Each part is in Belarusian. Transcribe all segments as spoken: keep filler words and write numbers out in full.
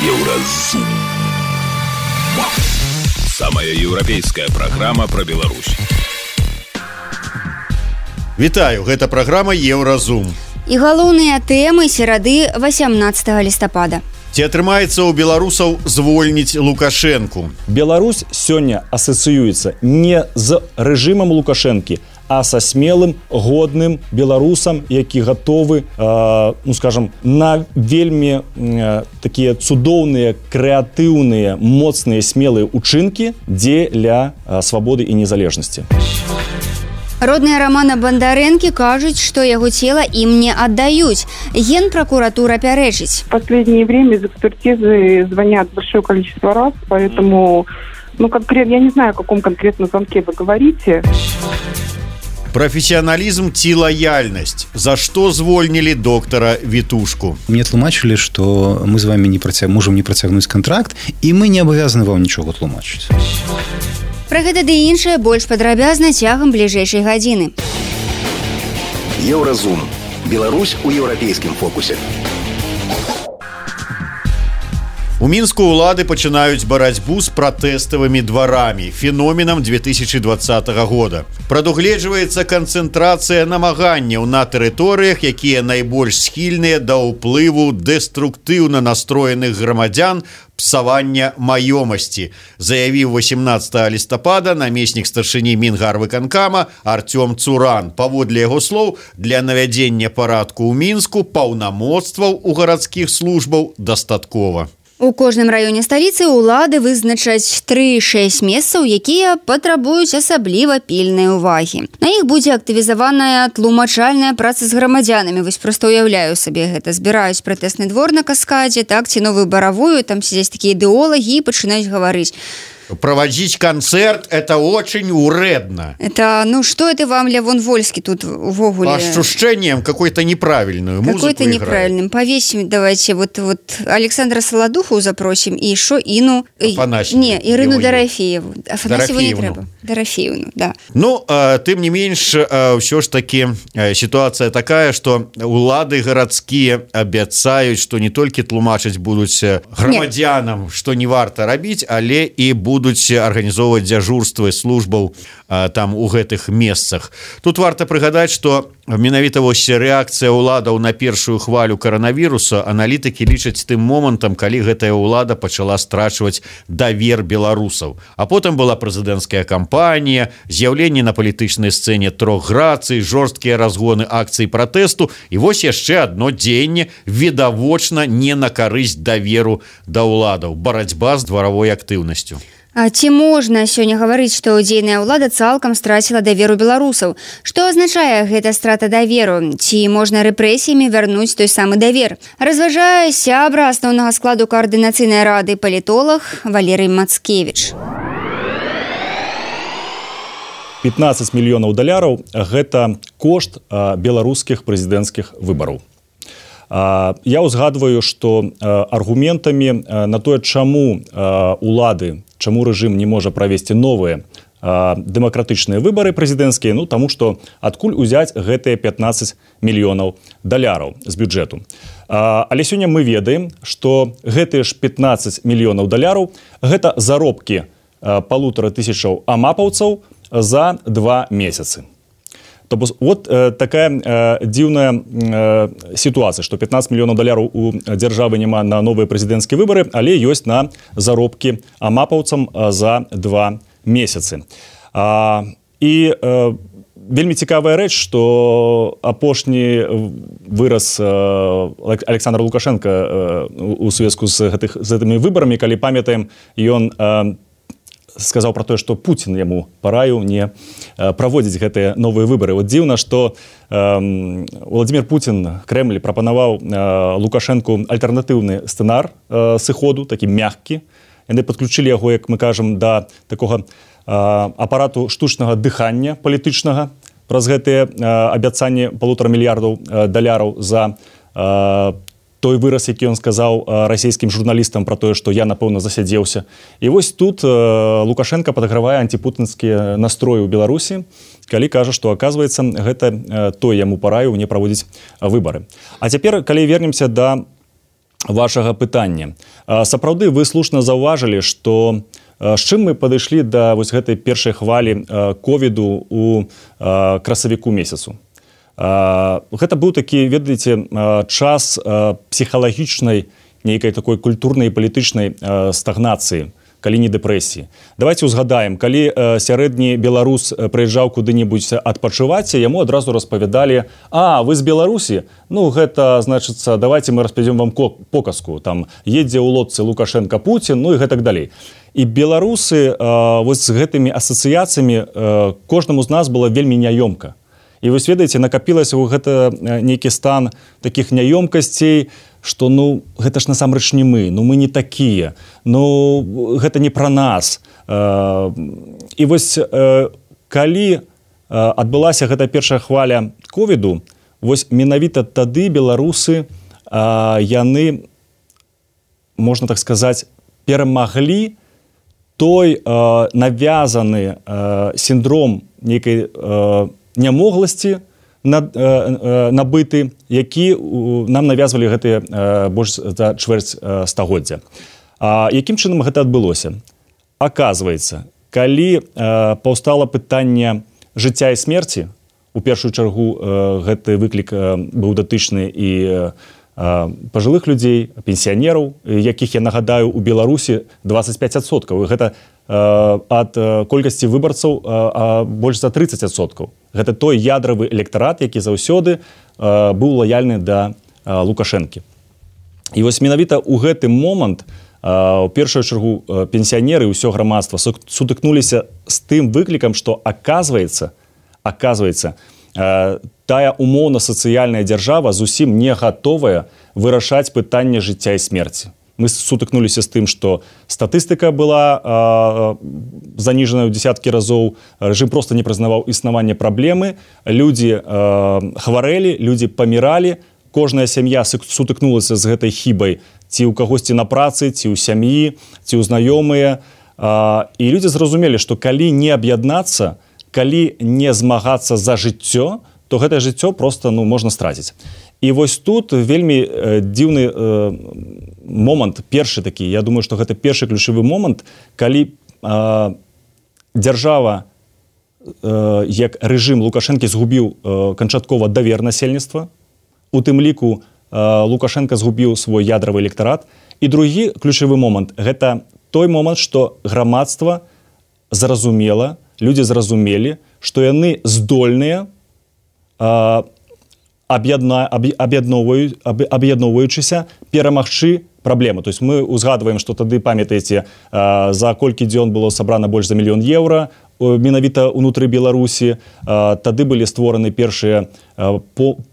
Еўразум. Самая еўрапейская праграма пра Беларусь. Вітаю, гэта праграма Еўразум. І галоўныя тэмы серады васямнаццатага лістапада. Ці атрымаецца ў беларусаў звольніць Лукашэнку? Беларусь сёння асацыюецца не з рэжымам Лукашэнкі, а са смелым, годным беларусам, які гатовы, э, ну скажам, на вельмі э, такія цудоўныя, крэатыўныя, моцныя, смелыя учынкі дзеля э, свабоды і незалежнасці. Родныя Рамана Бандарэнкі кажуць, што яго цела ім не аддаюць. Генпрокуратура пярэчыць. В последнее время из экспертизы звонят большое количество раз, поэтому, ну, конкретно, я не знаю, о каком конкретном звонке вы говорите. Профессионализм ці лояльность. За что звольнили доктора Витушку? Мне тлумачили, что мы с вами не протяг... можем не протягнуть контракт, и мы не обязаны вам ничего тлумачить. Пра гэта ды іншае больш падрабязна цягам бліжэйшай гадзіны. Еўразум. Беларусь у еўрапейскім фокусе. У Мінску ўлады пачынаюць барацьбу з пратэставымі дварамі, феноменам две тысячи двадцатого года. Прадугледжваецца канцэнтрацыя намаганняў на тэрыторыях, якія найбольш схільныя да ўплыву дэструктыўна настроеных грамадзян, псавання маёмасці, заявіў васямнаццатага лістапада намеснік старшыні Мінгарвыканкама Артём Цуран. Паводле яго слоў, для навядзення парадку ў Мінску паўнамоцтваў у гарадскіх службаў дастаткова. У кожным раёне сталіцы ўлады вызначаць тры-шэсць месцаў, якія патрабуюць асабліва пільнай увагі. На іх будзе актывізаваная тлумачальная праца з грамадзянамі. Вось проста уяўляю сабе гэта. Збіраюць пратэсны двор на каскадзе, так, ці новую баравую, там сядзяць такія ідэолагі і пачынаюць гаварыць. Проводить концерт – это очень уредно. Это, ну, что это вам, Левон Вольский, тут в огуле? По ощущениям какой-то неправильную музыку Какой-то неправильным. Повесим, давайте, вот, вот Александра Солодуху запросим, и шо Ину... Афанасьеву. Не, Ирину Дорофееву. Афанасьеву не треба. Дорофеевну, да. Ну, э, тем не меньше, э, все ж таки э, ситуация такая, что улады городские обещают, что не только тлумачить будут громадянам, Нет. что не варто робить, але и будут будуць арганізоўваць дзяжурствы службаў а, там у гэтых месцах. Тут варта прыгадаць, што менавіта вось рэакцыя ўладаў на першую хвалю каранавіруса аналітыкі лічаць тым момантам, калі гэтая ўлада пачала страчваць давер беларусаў. А потым была прэзідэнцкая кампанія, з'яўленне на палітычнай сцэне трох грацый, жорсткія разгоны акцый пратэсту і вось яшчэ адно дзеянне відавочна не на карысць даверу да ўладаў, барацьба з дваравой актыўнасцю. А ці можна сёння гаварыць, што дзейная ўлада цалкам страціла даверу беларусаў? Што азначае гэта страта даверу? Ці можна рэпрэсіямі вярнуць той самы давер? Разважае сябра асноўнага складу каардынацыйнай рады палітолог Валерый Мацкевіч. пятнадцать мільёнаў даляраў – гэта кошт беларускіх прэзідэнцкіх выбараў. Я ўзгадваю, што аргументамі на тое, чаму улады, чаму рэжым не можа правесці новыя дэмакратычныя выбары прэзідэнцкія, ну, таму што адкуль узяць гэтыя пятнадцать мільёнаў даляраў з бюджэту. Але сёння мы ведаем, што гэтыя ж пятнадцать мільёнаў даляраў – гэта заробкі палутара тысячаў амапаўцаў за два месяцы. То бок, вот э, такая э, дзіўная э, сітуацыя, што пятнадцать мільёнаў даляраў у дзяржавы няма на новыя прэзідэнцкія выбары, але ёсць на заробкі амапаўцам за два месяцы. А, і э, вельмі цікавая рэч, што апошні выраз э, Александра Лукашенка э, у звязку з, гэтых, з гэтымі выбарамі, калі памятаем, ён э, сказаў пра тое, што Пуцін яму параіў не праводзіць гэтыя новыя выбары. Вот дзіўна, што э, Владзімир Пуцін, Крэмль прапанаваў э, Лукашэнку альтэрнатыўны сцэнар э, сыходу, такі мяккі. Яны падключылі яго, як мы кажам, да такога э, апарату штучнага дыхання палітычнага праз гэтыя э, абяцанні палутара мільярдаў э, даляраў за э, той выраз, які ён сказаў расійскім журналістам пра тое, што я, напэўна, засядзеўся. І вось тут Лукашенко падагравае антипутінскія настроі ў Беларусі, калі кажа, што, аказваецца, гэта той яму параіў не праводзіць выбары. А цяпер, калі вернемся да вашага пытання. Сапраўды вы слушна заўважылі, што з чым мы падышлі да вось гэтай першай хвалі ковіду у красавіку месяцу. Гэта быў такі, ведаеце, час псіхалагічнай, нейкай такой культурнай і палітычнай стагнацыі, калі не дэпрэсіі. Давайте узгадаем, калі сярэдні беларус прыязджаў куды-небудзь адпачываць, яму адразу распавядалі: а, вы з Беларусі? Ну, гэта, значыцца, давайте мы распавядзём вам показку. Там едзе ў лодцы Лукашенко, Путін, ну і гэтак далей. І беларусы вось з гэтымі асацыяцыямі кожнаму з нас было вельмі няёмка. І вось, ведаеце, накапілася ў гэта нейкі стан такіх няёмкасцей, што, ну, гэта ж насамрэч не мы, ну, мы не такія, ну, гэта не пра нас. І вось, калі адбылася гэта першая хваля ковіду, вось менавіта тады беларусы, яны, можна так сказаць, перамаглі той навязаны сіндром нейкай нямогласці, набыты, які нам навязвалі гэтыя больш за чвэрць стагоддзя. Якім чынам гэта адбылося? Аказваецца, калі паўстала пытанне жыцця і смерці, у першую чаргу гэты выклік быў датычны і пажылых людзей, пенсіянераў, якіх, я нагадаю, у Беларусі дваццаць пяць адсоткаў. Гэта ад колькасці выбарцаў больш за трыццаць адсоткаў. Гэта той ядравы электарат, які заўсёды быў лаяльны да Лукашэнкі. І вось менавіта ў гэты момант у першую чаргу пенсіянеры і ўсё грамадства сутыкнуліся з тым выклікам, што аказваецца, аказваецца, тая умоўна-сацыяльная дзяржава зусім не гатовая вырашаць пытанне жыцця і смерці. Мы сутыкнуліся з тым, што статыстыка была э, заніжана ў дзесяткі разоў, рэжым проста не прызнаваў існаванне праблемы, людзі э, хварэлі, людзі паміралі, кожная сям'я сутыкнулася з гэтай хібай, ці ў кагосьці на працы, ці ў сям'і, ці ў знаёмыя. Э, і людзі зразумелі, што калі не аб'яднацца, калі не змагацца за жыццё, то гэтае жыццё проста, ну, можна страціць. І вось тут вельмі э, дзіўны э, момант, першы такі, я думаю, што гэта першы ключавы момант, калі э, дзяржава, э, як рэжым Лукашэнкі згубіў э, канчаткова давер насельніцтва, у тым ліку э, Лукашенко згубіў свой ядравы электарат. І другі ключавы момант, гэта той момант, што грамадства зразумела, людзі зразумелі, што яны здольныя э, аб'ядноўваючыся перамагчы праблему. То есть мы узгадваем, што тады, памятаеце, за колькі дзён было сабрана больш за мільён еўра менавіта ўнутры Беларусі. Тады былі створаны першыя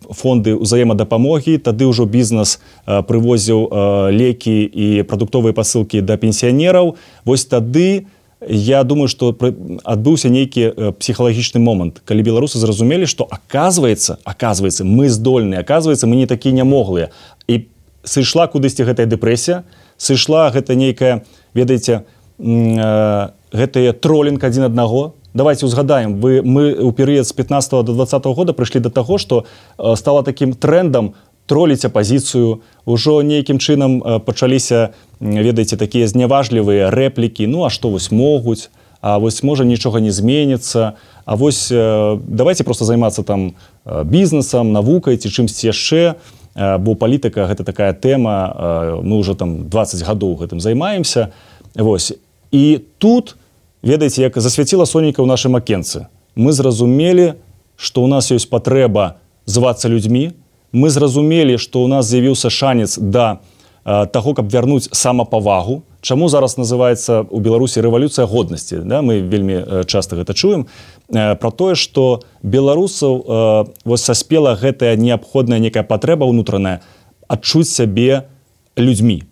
фонды ўзаемадапамогі, тады ўжо бізнес прывозіў лекі і прадуктовыя пасылкі да пенсіянераў. Вось тады, я думаю, што адбыўся нейкі псіхалагічны момант, калі беларусы зразумелі, што аказваецца, аказваецца, мы здольныя, аказваецца, мы не такія нямоглыя. І сышла кудысьці гэтая дэпрэсія, сышла гэта нейкая, ведаеце, гэтая тролінг адзін аднаго. Давайте узгадаем, вы, мы ў перыяд з пятнаццатага да дваццатага года прыйшлі да таго, што стала такім трендам троліць апазіцыю, ужо нейкім чынам пачаліся, ведаеце, такія зняважлівыя рэплікі, ну а што вось могуць, а вось можа нічога не зменіцца, а вось давайте просто займацца там бізнесам, навукай ці чымсьці яшчэ, бо палітыка гэта такая тэма, мы ўжо там дваццаць гадоў гэтым займаемся. Вось. І тут, ведаеце, як засвяціла сонейка ў нашым акенцы, мы зразумелі, што ў нас ёсць патрэба звацца людзьмі, мы зразумелі, што ў нас з'явіўся шанец да э, таго, каб вярнуць самапавагу. Чаму зараз называецца ў Беларусі рэвалюцыя годнасці? Да? Мы вельмі э, часта гэта чуем. Э, пра тое, што беларусаў э, вось саспела гэтая неабходная некая патрэба ўнутраная адчуць сябе людзьмі.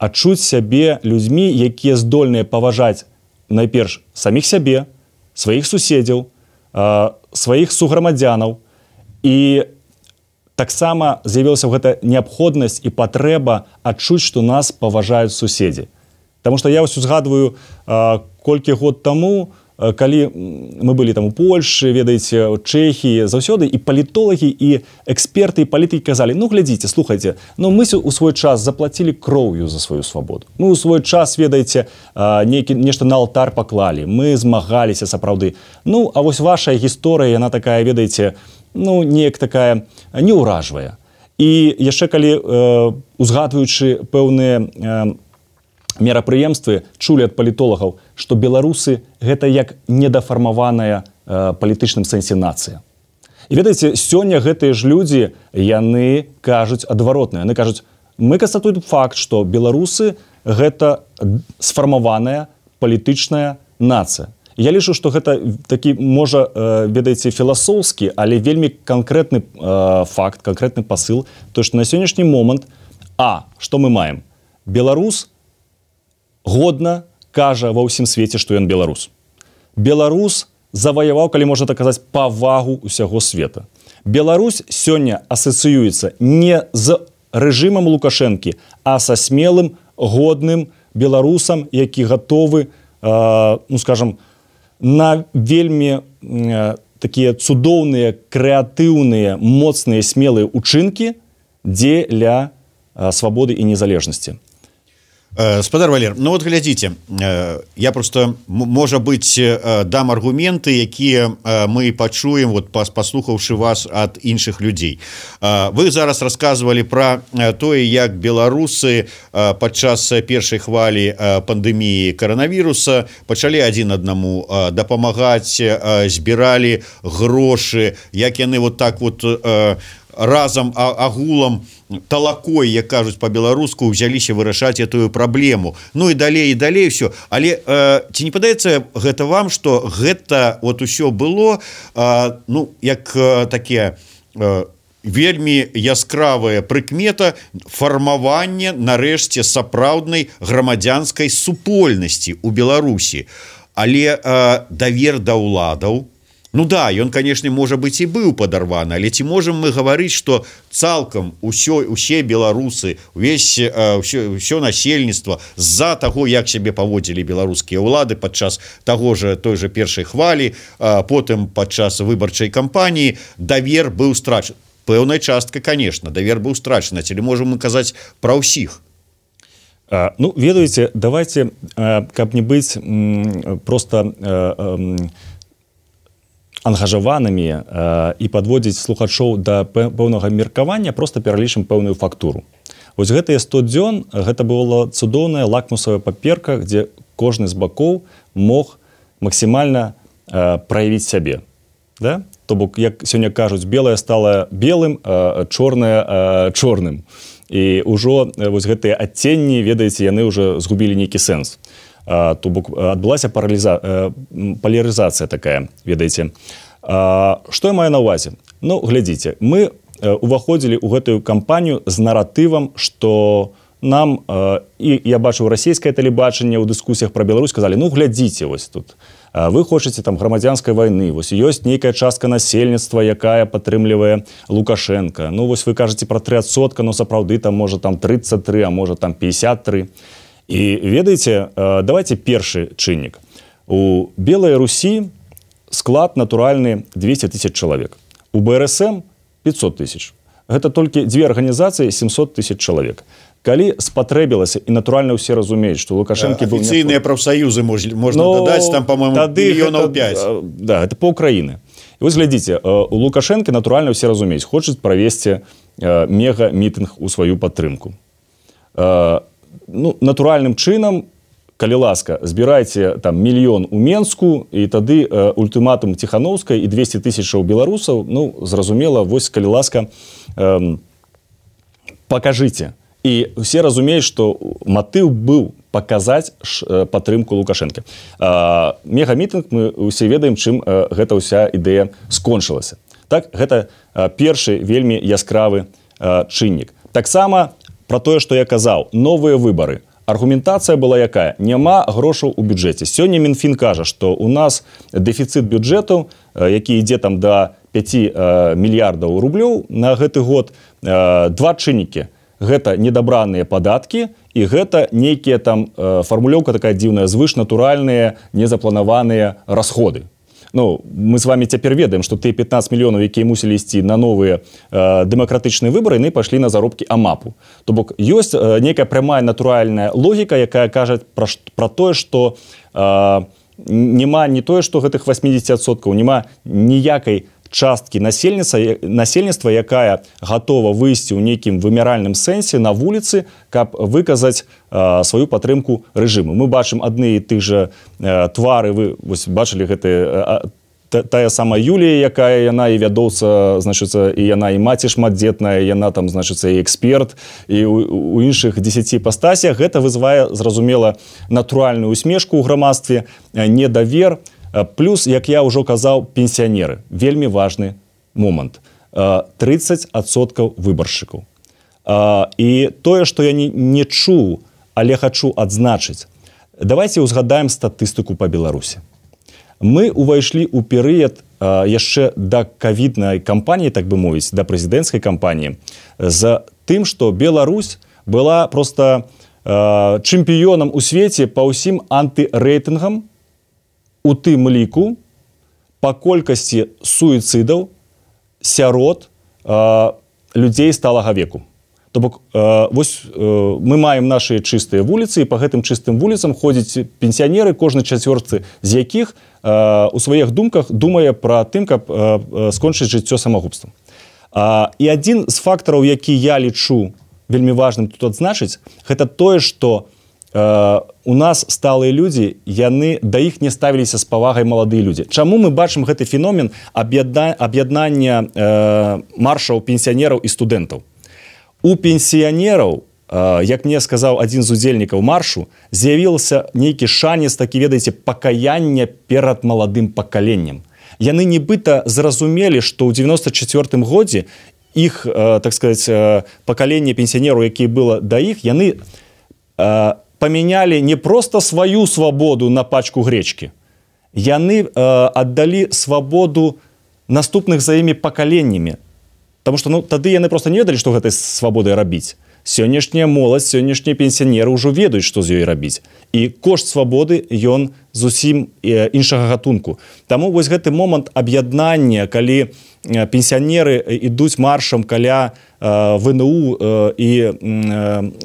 Адчуць сябе людзьмі, якія здольныя паважаць найперш саміх сябе, сваіх суседзяў, э, сваіх суграмадзянаў. І таксама з'явілася гэта неабходнасць і патрэба адчуць, што нас паважаюць суседзі. Таму што я вось узгадваю, колькі год таму калі мы былі там у Польшы, ведаеце, у Чэхіі, заўсёды і палітолагі, і эксперты, і палітыкі казалі, ну, глядзіце, слухайце, ну, мы у свой час заплацілі кроўю за сваю свабоду. Мы у свой час, ведаеце, нейкі, нешта на алтар паклалі, мы змагаліся сапраўды. Ну, а вось ваша гісторыя, яна такая, ведаеце, ну, неяк такая неўражвая. І яшчэ калі, э, узгадваючы пэўныя э, мерапрыемствы, чулі ад палітолагаў, што беларусы гэта як недафармаваная э, палітычным сэнсе нацыя. І ведаеце, сёння гэтыя ж людзі, яны кажуць адваротнае. Яны кажуць, мы канстатуем факт, што беларусы гэта сфармаваная палітычная нацыя. Я лічу, што гэта такі, можа, ведаеце, філасофскі, але вельмі канкрэтны э, факт, канкрэтны пасыл, то што на сённяшні момант, а, што мы маем? Беларус годна кажа ва ўсім свеце, што ён беларус. Беларус заваяваў, калі можна так казаць, павагу ўсяго света. Беларусь сёння асацыюецца не з рэжымам Лукашэнкі, а са смелым, годным беларусам, які гатовы, э, ну, скажам, на вельмі э, такія цудоўныя, крэатыўныя, моцныя, смелыя ўчынкі дзеля э, свабоды і незалежнасці. Спадар Валер, ну вот глядзіце, я просто, можа быць, дам аргументы, якія мы пачуем, вот паслухаўшы вас ад іншых людзей. Вы зараз расказвалі пра тое, як беларусы падчас першай хвалі пандэміі каранавіруса пачалі адзін аднаму дапамагаць, збіралі грошы, як яны вот так вот разам агулам талакой, як кажуць па-беларуску, узяліся вырашаць этую праблему. Ну і далей і далей все. Але э, ці не падаецца гэта вам, што гэта вот усё было э, ну як э, такія э, вельмі яскравая прыкмета фармавання нарэшце сапраўднай грамадзянскай супольнасці ў Беларусі. Але э, давер да ўладаў, ну да, ён, канешне, можа быць і быў падарваны, але ці можам мы гаварыць, што цалкам усё, усе беларусы, увесь, ўсё, ўсё насельніцтва з-за таго, як сябе паводзілі беларускія ўлады падчас таго же, той же першай хвалі, потым падчас выбарчай кампаніі, давер быў страчаны. Пэўная частка, канешне, давер быў страчаны, ці можам мы казаць пра ўсіх? Ну, ведаеце, давайте, каб не быць просто ангажаванымі э, і падводзіць слухачоў да пэўнага меркавання, просто пералічым пэўную фактуру. Вось гэтыя сто дзён, гэта была цудоўная лакмусовая паперка, дзе кожны з бакоў мог максімальна э, праявіць сябе. Да? То бок, як сёння кажуць, белае стала белым, э, чорнае э, чорным. І ўжо э, вось гэтыя адценні, ведаеце, яны ўжо згубілі нейкі сэнс. То бок адбылася палярызацыя такая, ведаеце. Што я маю на ўвазе? Ну, глядзіце, мы уваходзілі ў гэтую кампанію з наратывам, што нам, і я бачу расійскае тэлебачанне ў дыскусіях пра Беларусь, сказалі, ну, глядзіце вось тут. Вы хочаце там грамадзянскай вайны, вось ёсць нейкая частка насельніцтва, якая падтрымлівае Лукашенка. Ну, вось вы кажаце пра тры адсотка, но сапраўды там можа там трыццаць тры, а можа там пятьдесят три. І ведаеце, давайте першы чыннік. У Белай Русі склад натуральны двести тысяч чалавек. У БРСМ пятьсот тысяч. Гэта толькі дзве арганізацыі семьсот тысяч чалавек. Калі спатрэбілася, і натуральна ўсе разумеюць, што Лукашэнкі быў... Афіцыйныя прафсаюзы можна дадаць, там, па-моему, мільёнаў пяць. Да, это па Украіны. І вось глядзіце, у Лукашэнкі натуральна ўсе разумеюць, хочуць правесці мега-мітынг у сваю падтрымку. Ну, натуральным чынам, калі ласка, збірайце там мільён у Менску, і тады э, ультыматум Ціхановскай і двести тысячаў беларусаў, ну, зразумела, вось, калі ласка, э, пакажыце. І ўсе разумеюць, што матыў быў паказаць ш, падтрымку Лукашэнкі. Э, мегамітынг, мы ўсе ведаем, чым э, гэта ўся ідэя скончылася. Так, гэта э, першы вельмі яскравы э, чыннік. Таксама про тое, што я казаў, новыя выбары. Аргументацыя была якая? Няма грошаў у бюджэце. Сёння Мінфін кажа, што у нас дэфіцыт бюджэту, які ідзе там да пяти мільярдаў рублёў на гэты год, два чыннікі. гэта недабраныя падаткі і гэта нейкія там э, фармулёўка такая дзіўная, звышнатуральныя незапланаваныя расходы. Ну, мы з вами цяпер ведаем, што тыя пятнаццаць мільёнаў, якія мусілі ісці на новыя э, дэмакратычныя выбары, яны пайшлі на заробкі АМАПу. То бок ёсць э, нейкая прямая натуральная логіка, якая кажа пра, пра тое, што э, няма не тое, што гэтых восемьдесят адсоткаў, няма ніякай часткі насельніцтва, насельніцтва, якая гатова выйсці ў нейкім вымяральным сэнсе на вуліцы, каб выказаць э, сваю падтрымку рэжыму. Мы бачым адны і тых жа э, твары, вы вось, бачылі гэтыя, э, тая сама Юлія, якая яна і вядоўца, значыцца, і яна і маці шматдзетная, яна там, значыцца, і эксперт, і у, у іншых дзесяці іпастасях. Гэта вызывае, зразумела, натуральную усмешку ў грамадстве, недавер. Плюс, як я ўжо казаў, пенсіянеры. Вельмі важны момант. трыццаць адсоткаў выбаршчыкаў. І тое, што я не, не чуў, але хачу адзначыць. Давайте узгадаем статыстыку па Беларусі. Мы увайшлі ў перыяд яшчэ да ковіднай кампаніі, так бы мовіць, да прэзідэнцкай кампаніі, з тым, што Беларусь была проста чэмпіёнам у свеце па ўсім антырэйтынгам, у тым ліку па колькасці суіцыдаў сярод э, людзей сталага веку. То бок, э, вось э, мы маем нашы чыстыя вуліцы, і па гэтым чыстым вуліцам ходзяць пенсіянеры, кожны чацвёрты з якіх э, у сваіх думках думае пра тым, каб э, скончыць жыццё самагубствам. А, і адзін з фактараў, які я лічу вельмі важным тут адзначыць, гэта тое, што Uh, у нас сталыя людзі, яны да іх не ставіліся з павагай маладыя людзі. Чаму мы бачым гэты феномен аб'ядна... аб'яднання uh, маршаў пенсіянераў і студэнтаў? У пенсіянераў, uh, як мне сказаў адзін з удзельнікаў маршу, з'явіўся нейкі шанец, такі, ведаеце, пакаяння перад маладым пакаленнем. Яны нібыта зразумелі, што ў дзевяноста чацвёртым годзе іх, uh, так сказаць, uh, пакаленне пенсіянераў, якія было да іх, яны uh, памянялі не проста сваю свабоду на пачку гречкі. Яны э, аддалі свабоду наступных за імі пакаленнямі. Таму што ну, тады яны проста не ведалі, што гэтай свабодай рабіць. Сённяшняя моладзь, сённяшнія пенсіянеры ўжо ведаюць, што з ёй рабіць. І кошт свабоды, ён зусім э, іншага гатунку. Таму вось гэты момант аб'яднання, калі э, пенсіянеры ідуць маршам каля ВНУ і,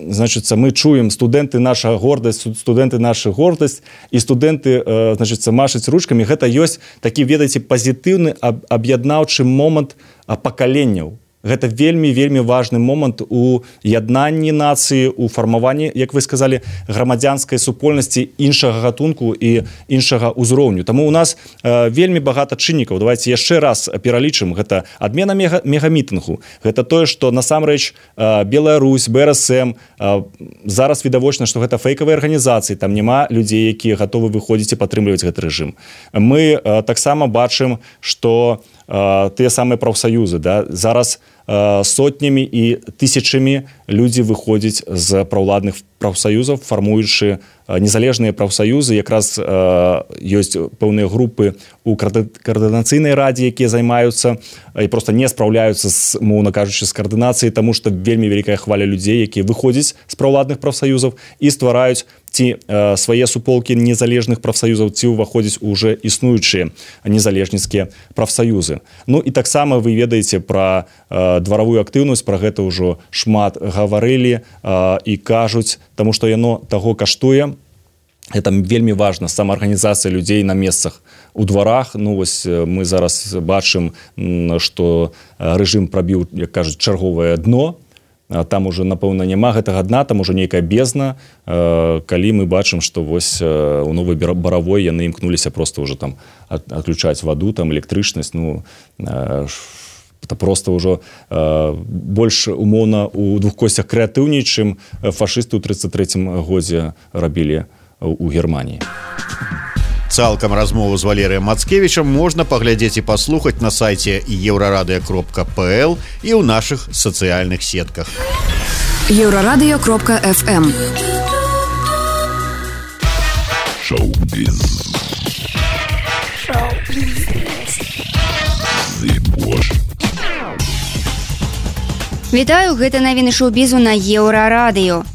значыцца, мы чуем студэнты наша гордасць, студэнты наша гордасць і студэнты, значыцца, машаць ручкамі. Гэта ёсць такі, ведаеце, пазітыўны аб'яднаўчы момант пакаленняў. Гэта вельмі-вельмі важны момант у яднанні нацыі, у фармаванні, як вы сказалі, грамадзянскай супольнасці іншага гатунку і іншага ўзроўню. Таму у нас э, вельмі багата чыннікаў. Давайте яшчэ раз пералічым. Гэта адмена мега, мегамітынгу. Гэта тое, што насамрэч э, Беларусь, БРСМ, э, зараз відавочна, што гэта фейкавыя арганізацыі, там няма людзей, якія гатовы выходзіць і падтрымліваць гэты рэжым. Мы э, таксама бачым, што э, тыя самыя прафсаюзы, да, зараз сотнямі і тысячамі людзі выходзяць з праўладных прафсаюзаў, фармуючы незалежныя прафсаюзы. Якраз ёсць пэўныя групы у каардынацыйнай радзе, якія займаюцца і проста не спраўляюцца, з, моўна кажучы, з каардынацыяй, таму што вельмі вялікая хваля людзей, якія выходзяць з праўладных прафсаюзаў і ствараюць ці э, свае суполкі незалежных прафсаюзаў, ці ўваходзяць уже існуючыя незалежніцкія прафсаюзы. Ну і таксама вы ведаеце пра э, дваравую актыўнасць, пра гэта ўжо шмат гаварылі э, і кажуць, таму што яно таго каштуе. Это вельмі важна, самаарганізацыя людзей на месцах у дварах. Ну вось мы зараз бачым, што рэжым прабіў, як кажуць, чарговае дно. Там уже, напэўна, няма гэтага дна, там уже нейкая бездна, калі мы бачым, што вось у Новай Баравой яны імкнуліся проста ўжо там адключаць ваду, там электрычнасць, ну это проста ўжо больш умоўна у двух косцях крэатыўней, чым фашысты ў трыццаць трэцім годзе рабілі у Германіі. Цалкам размову з Валерыем Мацкевічам можна паглядзець і паслухаць на сайце еўрарадыё кропка пэ эл і ў нашых сацыяльных сетках. еўрарадыё кропка эф эм. Шоу-біз. Шоу-біз. Вітаю, гэта навіны шоу-бізу на Еўрарадыё.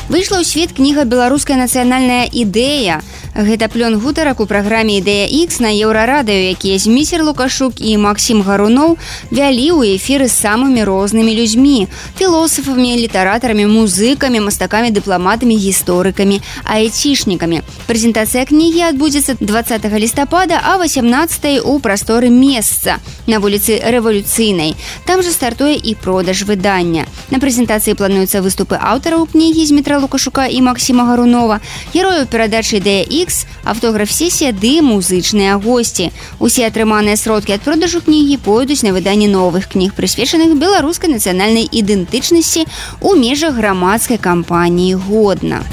Выйшла ў свет кніга «Беларуская нацыянальная ідэя». Гэта плён гутарак у праграме «Ідэя Х» на Еўрарадыё, якія Зміцер Лукашук і Максім Гаруноў вялі ў эфіры з самымі рознымі людзьмі – філосафамі, літаратарамі, музыкамі, мастакамі, дыпламатамі, гісторыкамі, айцішнікамі. Прэзентацыя кнігі адбудзецца дваццатага лістапада, а васямнаццатага у прасторы месца на вуліцы Рэвалюцыйнай. Там жа стартуе і продаж выдання. На прэзентацыі плануюцца выступы аўтараў кнігі Змітра Лукашука і Максіма Гарунова, герояў перадачы «Ідэя Х», аўтограф-сесія ды музычныя госці. Усе атрыманыя сродкі ад продажу кнігі пойдуць на выданне новых кніг, прысвечаных беларускай нацыянальнай ідэнтычнасці ў межах грамадскай кампаніі «Годна».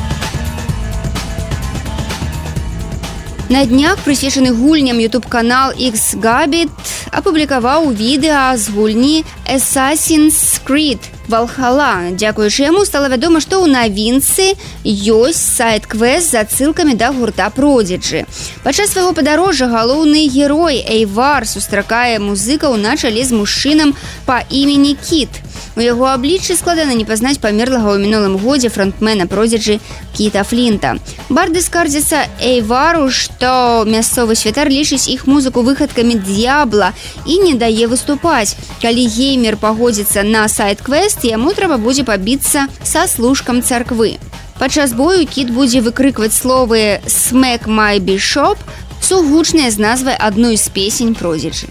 На днях прысвечаны гульням ютуб-канал X-Gabit апублікаваў відэа з гульні Assassin's Creed Valhalla. Дзякуючы яму стала вядома, што ў навінцы ёсць сайт-квест з адсылкамі да гурта Prodigy. Падчас свайго падарожжа галоўны герой Эйвар сустракае музыкаў на чале з мужчынам па імені Кіт. У яго абліччы складана не пазнаць памерлага ў мінулым годзе фронтмена Prodigy Кіта Флінта. Барды скардзяцца Эйвару, што мясцовы святар лічыць іх музыку выхадкамі д'ябла і не дае выступаць. Калі геймер пагодзіцца на сайт-квест, яму трэба будзе пабіцца са служкам царквы. Падчас бою Кіт будзе выкрыкваць словы «Smack my bishop», сугучныя з назвай адной з песень Prodigy.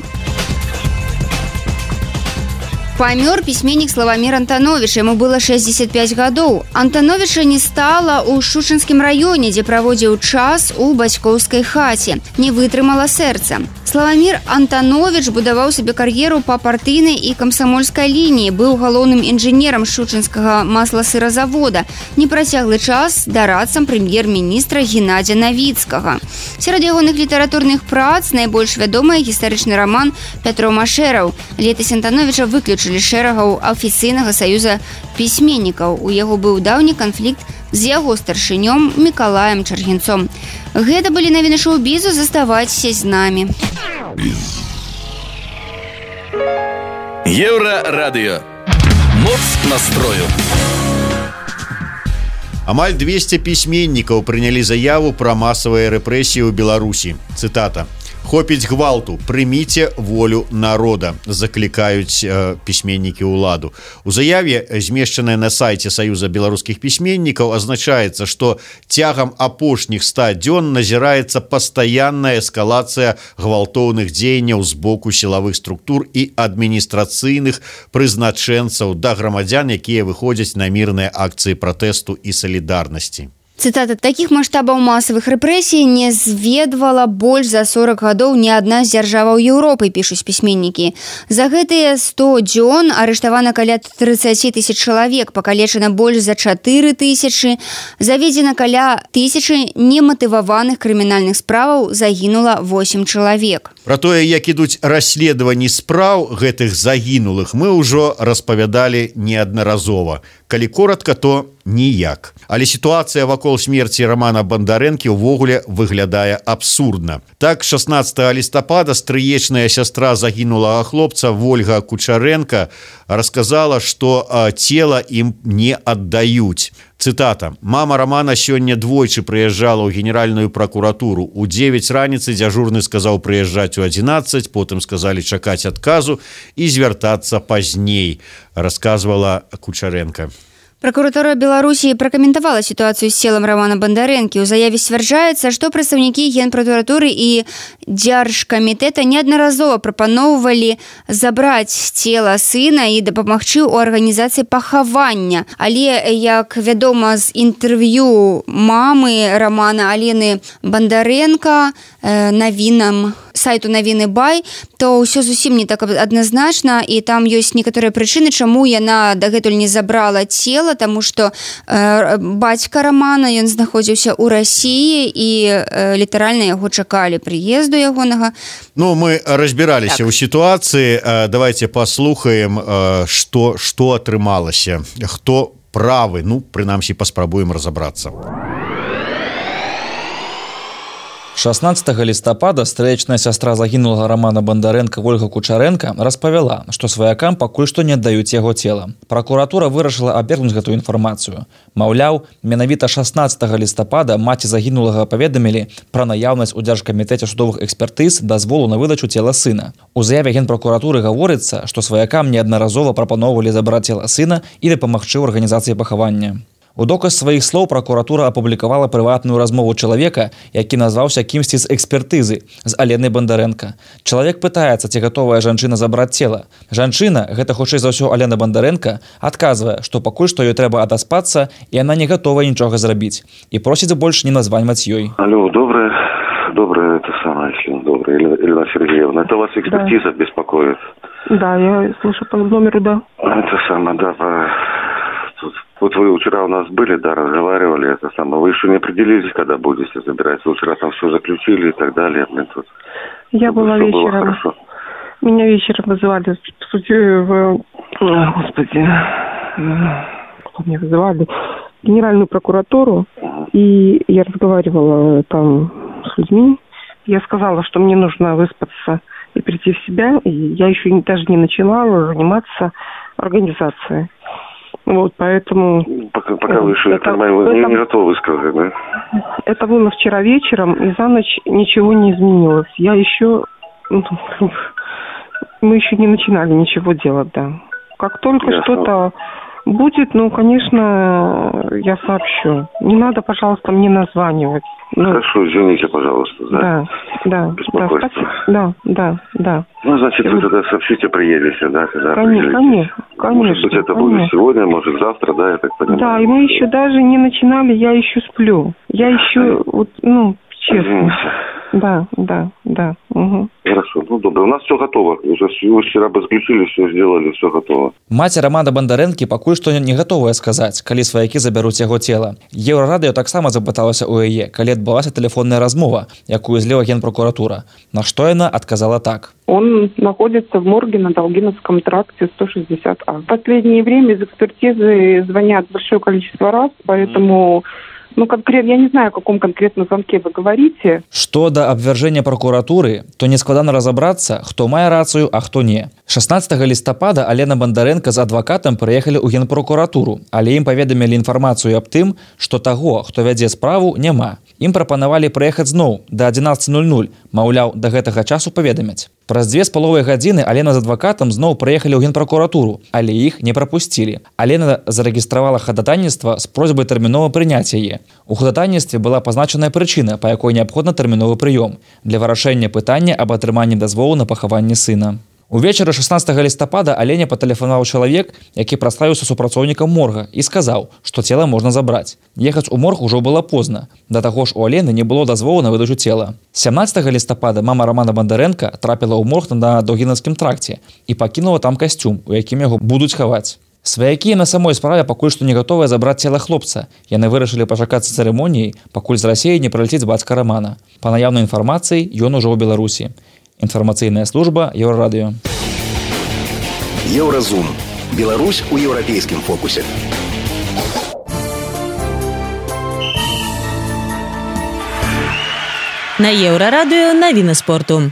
Памёр пісьменнік Славамір Антановіч, яму было шэсцьдзесят пяць гадоў. Антановіча не стала ў Шучынскім раёне, дзе праводзіў час у бацькоўскай хаце. Не вытрымала сэрца. Славамір Антановіч будаваў сабе кар'еру па партыйнай і камсамольскай лініі, быў галоўным інжынерам Шучынскага масласыразавода, непрацяглы час дарадцам прэм'ер-міністра Геннадзя Навіцкага. Сярод ягоных літаратурных прац найбольш вядомы гістарычны раман «Пятро Машэраў». Летась Антановіча выключылі шэрагаў афіцыйнага саюза пісьменнікаў. У яго быў даўні канфлікт з яго старшынём Мікалаем Чаргінцом. Гэта былі навіны шоу-бізу, заставайцеся з намі. Еўрарадыё. Моц настрою. Амаль двесце пісьменнікаў прынялі заяву пра масавыя рэпрэсіі ў Беларусі. Цытата. «Хопіць гвалту, прыміце волю народа», заклікаюць э, пісьменнікі ўладу. У заяве, змешчанай на сайце Саюза беларускіх пісьменнікаў, азначаецца, што цягам апошніх ста дзён назіраецца пастаянная эскалацыя гвалтоўных дзеянняў з боку сілавых структур і адміністрацыйных прызначэнцаў да грамадзян, якія выходзяць на мірныя акцыі пратэсту і салідарнасці. Цытата. «Такіх маштабаў масавых рэпрэсій не зведвала больш за сорок гадоў ні адна з дзяржаваў Еўропы», пішуць пісьменнікі. За гэтыя сто дзён арыштавана каля тридцать тысяч чалавек, пакалечана больш за чатыры тысячы, заведзена каля тысячы нематываваных крымінальных справаў, загінула восемь чалавек. Пра тое, як ідуць расследаванні спраў гэтых загінулых, мы ўжо распавядалі неаднаразова. Калі коратка, то ніяк. Але сітуацыя вакол смерці Рамана Бандарэнкі ўвогуле выглядае абсурдна. Так, шаснаццатага лістапада стрыечная сястра загінулага хлопца Вольга Кучаренка расказала, што цела ім не аддаюць. Цытата. «Мама Рамана сёння двойчы прыязджала ў генеральную пракуратуру. У дзевяць раніцы дзяжурны сказаў прыязджаць у адзінаццаць, потым сказалі чакаць адказу і звяртацца пазней», расказвала Кучаренка. Пракуратура Беларусі пракаментавала сітуацыю з целам Рамана Бандарэнкі. У заяве сцвярджаецца, што прадстаўнікі генпракуратуры і дзяржкамітэта неаднаразова прапаноўвалі забраць цела сына і дапамагчы ў арганізацыі пахавання. Але, як вядома з інтэрв'ю мамы Рамана Алены Бандарэнка навінам сайту навіны бай, то ўсё зусім не так адназначна, і там ёсць некаторыя прычыны, чаму яна дагэтуль не забрала цела, таму што э, бацька Рамана, ён знаходзіўся ў Расіі і э, літаральна яго чакалі прыезду ягонага. Ну, мы разбіраліся так. ў сітуацыі. Давайте паслухаем, што, што атрымалася, хто правы, ну, прынамсі паспрабуем разабрацца. шаснаццатага лістапада стрэчная сястра загінулага Романа Бондаренка Ольга Кучаренко распавяла, што сваякам пакуль што не аддаюць яго цела. Пракуратура вырашыла абвергнуць гэтую інфармацыю. Маўляў, менавіта шаснаццатага лістапада маці загінулага паведамілі пра наяўнасць у Дзяржкамітэце судовых экспертыз дазволу на выдачу цела сына. У заяве генпракуратуры гаворыцца, што сваякам неаднаразова прапаноўвалі забраць цела сына і дапамагчы ў арганізацыі пахавання. У доказ сваіх слоў пракуратура апублікавала прыватную размову чалавека, які назваўся кімсьці з экспертызы, з Аленай Бондаренко. Чалавек пытаецца, ці гатовая жанчына забраць цела. Жанчына, гэта хутчэй за ўсё Алена Бондаренко, адказвае, што пакуль што ёй трэба адаспацца, і яна не гатова нічога зрабіць. І просіць больш не названьваць ёй. Алло, доброе, доброе, это самое, если доброе, Елена Сергеевна. Это вас экспертиза да. беспокоит? Да, я слышу по номеру, да. Это самое, да, по... Вот вы вчера у нас были, да, разговаривали, это самое. Вы еще не определились, когда будете забирать. Вы вчера там все заключили и так далее. Блин, тут, Я была вечером. Было Меня вечером вызывали в суде, в... Господи, как меня вызывали? Генеральную прокуратуру. Uh-huh. И я разговаривала там с людьми. Я сказала, что мне нужно выспаться и прийти в себя. И я еще даже не начала заниматься организацией. Вот, поэтому... Пока, пока вы еще, это, я понимаю, вы это, не готовы сказать, да? Это было вчера вечером, и за ночь ничего не изменилось. Я еще... Мы еще не начинали ничего делать, да. Как только Ясно. Что-то будет, ну, конечно, я сообщу. Не надо, пожалуйста, мне названивать. Ну, Хорошо, извините, пожалуйста. Да, да, да. Беспокойство. Да, да, да. Ну, значит, вы тогда сообщите, приедете, да, когда Конечно, конечно, конечно. Может быть, это конечно. будет сегодня, может, завтра, да, я так понимаю. Да, и мы еще даже не начинали, я еще сплю. Я еще, вот, ну, честно. Извините. Да, да, да. Угу. Хорошо, ну добре. У нас все готово. Уже вчера бы заключили, все сделали, все готово. Маці Романа Бондаренкі пакуль што не гатовая сказаць, калі сваякі забяруць яго цела. Еўрарадыё таксама запыталася ў яе, калі адбылася тэлефонная размова, якую зліва генпракуратура. На што яна адказала так. Он находится в морге на Долгиновском тракте сто шестьдесят А. В последнее время из экспертизы звонят большое количество раз, поэтому... Ну, конкретно, я не знаю, о каком конкретном звонке вы говорите. Што да абвяржэння пракуратуры, то не складана разабрацца, хто мае рацыю, а хто не. шаснаццатага лістапада Алена Бондаренко з адвакатам прыехалі ў генпракуратуру, але ім паведамілі інфармацыю аб тым, што таго, хто вядзе справу, няма. Ім прапанавалі прыехаць зноў да адзінаццаці нуль нуль, маўляў, да гэтага часу паведамяць. Праз дзве з паловай гадзіны Алена з адвакатам зноў прыехалі ў генпракуратуру, але іх не прапусцілі. Алена зарэгістравала хадатайніцтва з просьбай тэрмінова прыняць яе. У хадатайніцтве была пазначаная прычына, па якой неабходна тэрміновы прыём для вырашэння пытання аб атрыманні дазволу на пахаванне сына. Увечары шаснаццатага лістапада Алене патэлефанаваў чалавек, які праславіўся супрацоўнікам морга і сказаў, што цела можна забраць. Ехаць у морг ужо было позна. Да таго ж у Алены не было дазволу на выдачу цела. сямнаццатага лістапада мама Романа Бондаренка трапіла ў морг на Долгінаўскім тракце і пакінула там касцюм, у якім яго будуць хаваць. Сваякі на самой справе пакуль што не гатовыя забраць цела хлопца. Яны вырашылі пачакацца цырымоніяй, пакуль з Расіі не прыляціць бацька Романа. Па наяўнай інфармацыі, ён ужо ў Беларусі. Інфармацыйная служба Еўрарадыё. Еўразум. Беларусь у еўрапейскім фокусе. На Еўрарадыё навіны спорту.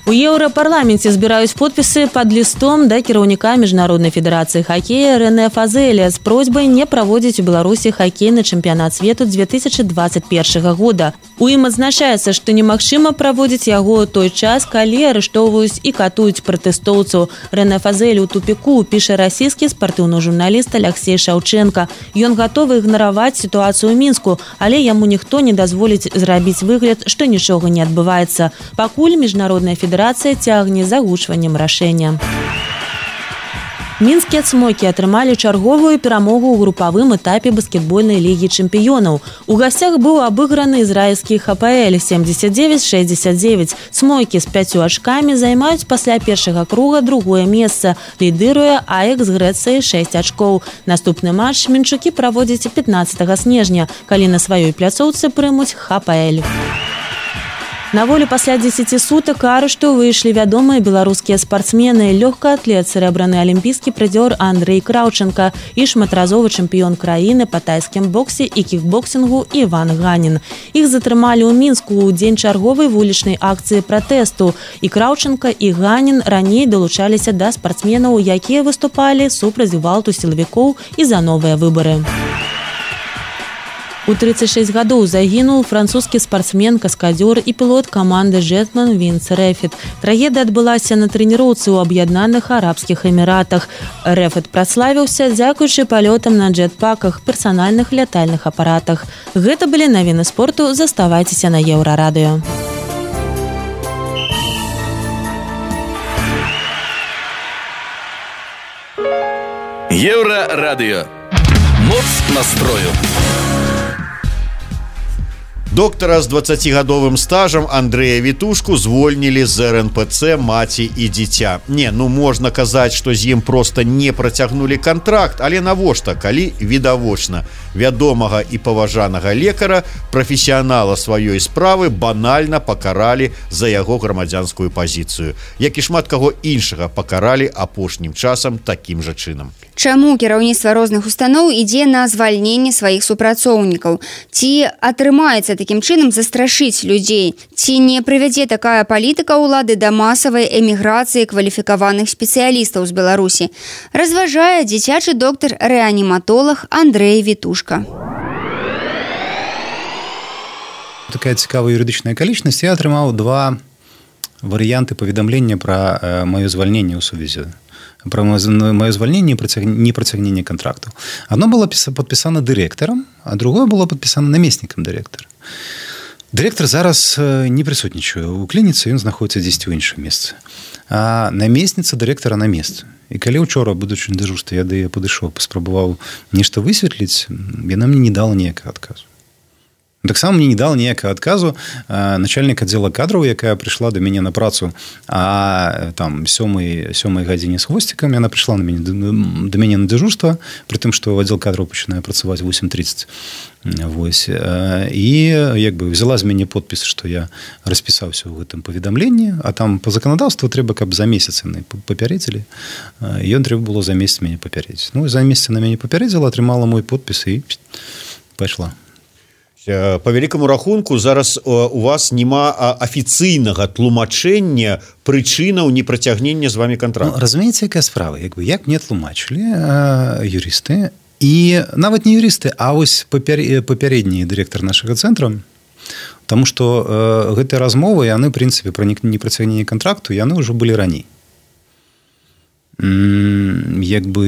У Еўрапарламенце збіраюць подпісы пад лістом да кіраўніка Міжнароднай федэрацыі хакея Рэне Фазэля з просьбай не праводзіць у Беларусі хакейны чэмпіянат свету две тысячи двадцать первого года. У ім адзначаецца, што немагчыма праводзіць яго той час, калі арыштоўваюць і катуюць пратэстоўцаў. Рэне Фазэль у тупіку, піша расійскі спартыўны журналіст Алексей Шаўчэнка. Ён гатовы ігнараваць сітуацыю ў Мінску, але яму ніхто не дазволіць зрабіць выгляд, што нічога не адбываецца. Пакуль Міжнародная федэрацыя Федэрацыя цягне за агучваннем рашэння. Мінскія цмокі атрымалі чарговую перамогу ў групавым этапе баскетбольнай лігі чэмпіёнаў. У гасцях быў абыграны ізраільскі ХПЛ семьдесят девять шестьдесят девять. Цмокі з пяццю ачкамі займаюць пасля першага круга другое месца. Лідыруе АЭК з Грэцыяй шэсць ачкоў. Наступны матч мінчукі праводзяць пятнаццатага снежня, калі на сваёй пляцоўцы прымуць ХПЛ. На волю пасля дзесяці сутак арышту выйшлі вядомыя беларускія спартсмены, лёгкаатлет, срэбраны алімпійскі прызёр Андрэй Краўченка і шматразовы чэмпіён краіны па тайскім боксе і кікбоксінгу Іван Ганін. Іх затрымалі ў Мінску ў дзень чарговай вулічнай акцыі пратэсту. І Краўченка, і Ганін раней далучаліся да спартсменаў, якія выступалі супраць гвалту сілавікоў і за новыя выбары. У тридцать шесть гадоў загінуў французскі спартсмен, каскадёр і пілот каманды «Жетман» Вінс Рэфет. Трагедыя адбылася на трэніроўцы ў Аб'яднаных Арабскіх Эміратах. Рэфет праславіўся дзякуючы палётам на джетпаках, персанальных лятальных апаратах. Гэта былі навіны спорту. Заставайцеся на Еўрарадыё. Еўрарадыё. Моц настрою. Доктара з дваццацігадовым стажам Андрэя Вітушку звольнілі з эр эн пэ цэ «Маці і дзіця». Не, ну можна казаць, што з ім проста не працягнулі кантракт, але навошта, калі відавочна вядомага і паважанага лекара, прафесіянала сваёй справы банальна пакаралі за яго грамадзянскую пазіцыю, як і шмат каго іншага пакаралі апошнім часам такім жа чынам. Чаму кіраўніцтва розных устаноў ідзе на звальненне сваіх супрацоўнікаў? Ці атрымаецца такім чынам застрашыць людзей? Ці не прывядзе такая палітыка ўлады да масавай эміграцыі кваліфікаваных спецыялістаў з Беларусі? Разважае дзіцячы доктар-рэаніматолог Андрэй Вітушка. Такая цікавая юрыдычная акалічнасць. Я атрымаў два варыянты паведамлення пра э, маё звальненне ў сувязі про мое звольнение и непротягнение контрактов. Одно было подписано директором, а другое было подписано наместником директора. Директор зараз не присутнічае у клініцы, ён знаходіцца дзесьці ў іншым месцы. А наместница директора на месцы. І калі учора, будучы на дежурстве, я да яе падышоў, паспрабаваў нешта высветліць, яна мне не дала ніякага адказу. Таксама мне не дал ніякага адказу начальник аддзела кадраў, якая прыйшла да мяне на працу, а там сёмай гадзіне з хвосцікам яна прыйшла на мяне, да мяне на дежурство, пры тым, што аддзел кадраў пачынае працаваць восемь тридцать. Вось. І як бы взяла з мяне подпіс, што я распісаўся ў гэтым паведамленні, а там по законодаўству трэба, каб за месяц яны папярэдзілі. Ён трэба было за месяц мяне папярэдзіць. Ну, за месяц на мяне папярэдзіла, атрымала мой подпіс і пайшла. По вялікаму рахунку зараз у вас няма афіцыйнага тлумачэння прычынаў непрацягнення з вами контракту. Ну, разумееце, якая справа? Як бы, як мне тлумачылі юрысты, і нават не юрысты, а вось папярэдні дырэктар нашага цэнтра, таму што гэтыя размовы, яны, в прынцыпе, пра непрацягненне контракту, яны ўжо былі раней. Як бы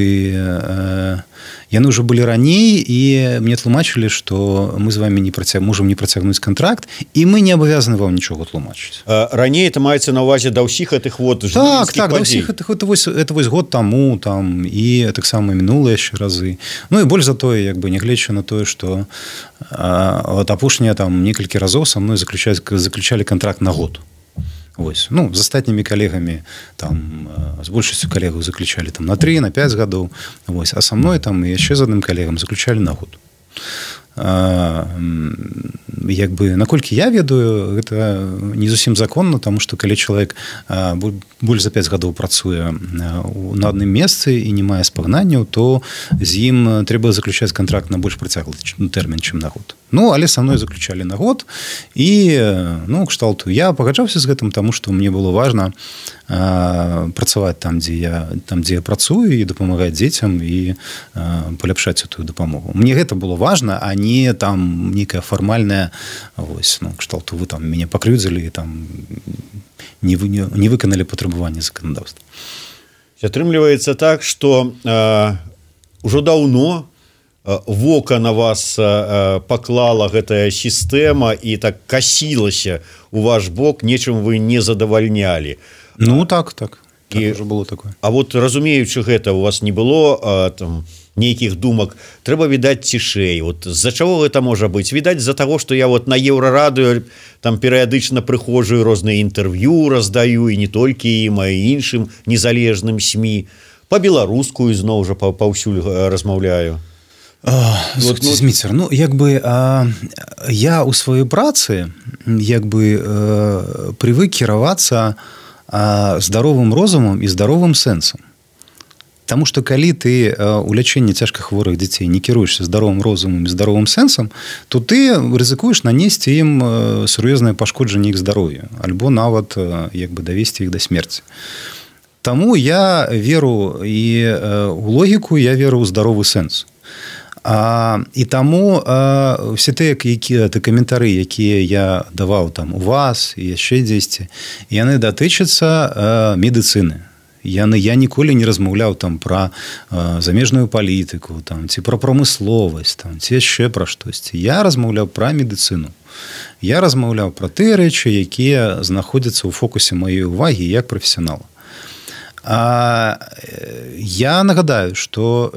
яны ўжо былі раней, і мне тлумачылі, што мы з вами не працяг... можам не працягнуць контракт, і мы не абавязаны вам нічога тлумачыць. Раней это маецца на ўвазе да ўсіх гэтых вот так, так, да ўсіх гэтых, это вось, это вось год таму там, і таксама мінулыя яшчэ разы. Ну і больш за тое, як бы нягледзячы на тое, што от апошнія там некалькі разоў са мной заключалі контракт на год. Вось. Ну, з астатнімі калегамі там, з большасцю калегаў заключалі там на три, на пять гадоў, вось. А са мной там яшчэ з адным калегам заключалі на год. А, як бы, наколькі я ведаю, гэта не зусім законна, таму што калі чалавек больш за пять гадоў працуе на адным месцы і не мае спагнанняў, то з ім трэба заключаць контракт на больш працяглы тэрмін, чым на год. Ну, але са мной заключалі на год, і, ну, кшталту, я пагаджаўся з гэтым, таму што мне было важна а, працаваць там, дзе я, там, дзе я працую, і дапамагаць дзецям, і а, паляпшаць эту дапамогу. Мне гэта было важна, а не там нейкая фармальная, вось, ну, кшталту, вы там мяне пакрыўдзілі, там не, вы, не, не выканалі патрабаванні заканадаўства. Атрымліваецца так, што а, ўжо даўно вока на вас паклала гэтая сістэма і так касілася у ваш бок, нечым вы не задавальнялі. Ну так, так. І, так было такое. А вот разумеючы гэта, у вас не было а, там нейкіх думак, трэба відаць цішэй. Вот з-за чаго гэта можа быць? Відаць з-за таго, што я вот на Еўрарадыё там перыядычна прыходжу, розныя інтэрв'ю раздаю, і не толькі ім, а і іншым незалежным СМІ. Па-беларуску ізноў жа паўсюль размаўляю. Вот, ну, Зміцер, ну, як бы а, я у сваёй працы як бы а, привык кіравацца а, здаровым розумам і здаровым сэнсам. Таму што калі ты у лячэнні цяжкахворых дзяцей не кіруешся здаровым розумам і здаровым сэнсам, то ты рызыкуеш нанесці ім сур'ёзнае пашкоджанне іх здароўя, альбо нават як бы давесці іх да смерці. Таму я веру і у логіку, я веру ў здаровы сэнс. А, і таму а, все тыя якія ты каментары, якія я даваў там у вас і яшчэ дзесьці, яны датычацца а, медыцыны. Я, я ніколі не размаўляў там пра а, замежную палітыку, там, ці пра прамысловасць, там, ці яшчэ пра штосьці. Я размаўляў пра медыцыну. Я размаўляў пра тыя рэчы, якія знаходзяцца ў фокусе маёй увагі як прафесіянала. А я нагадаю, што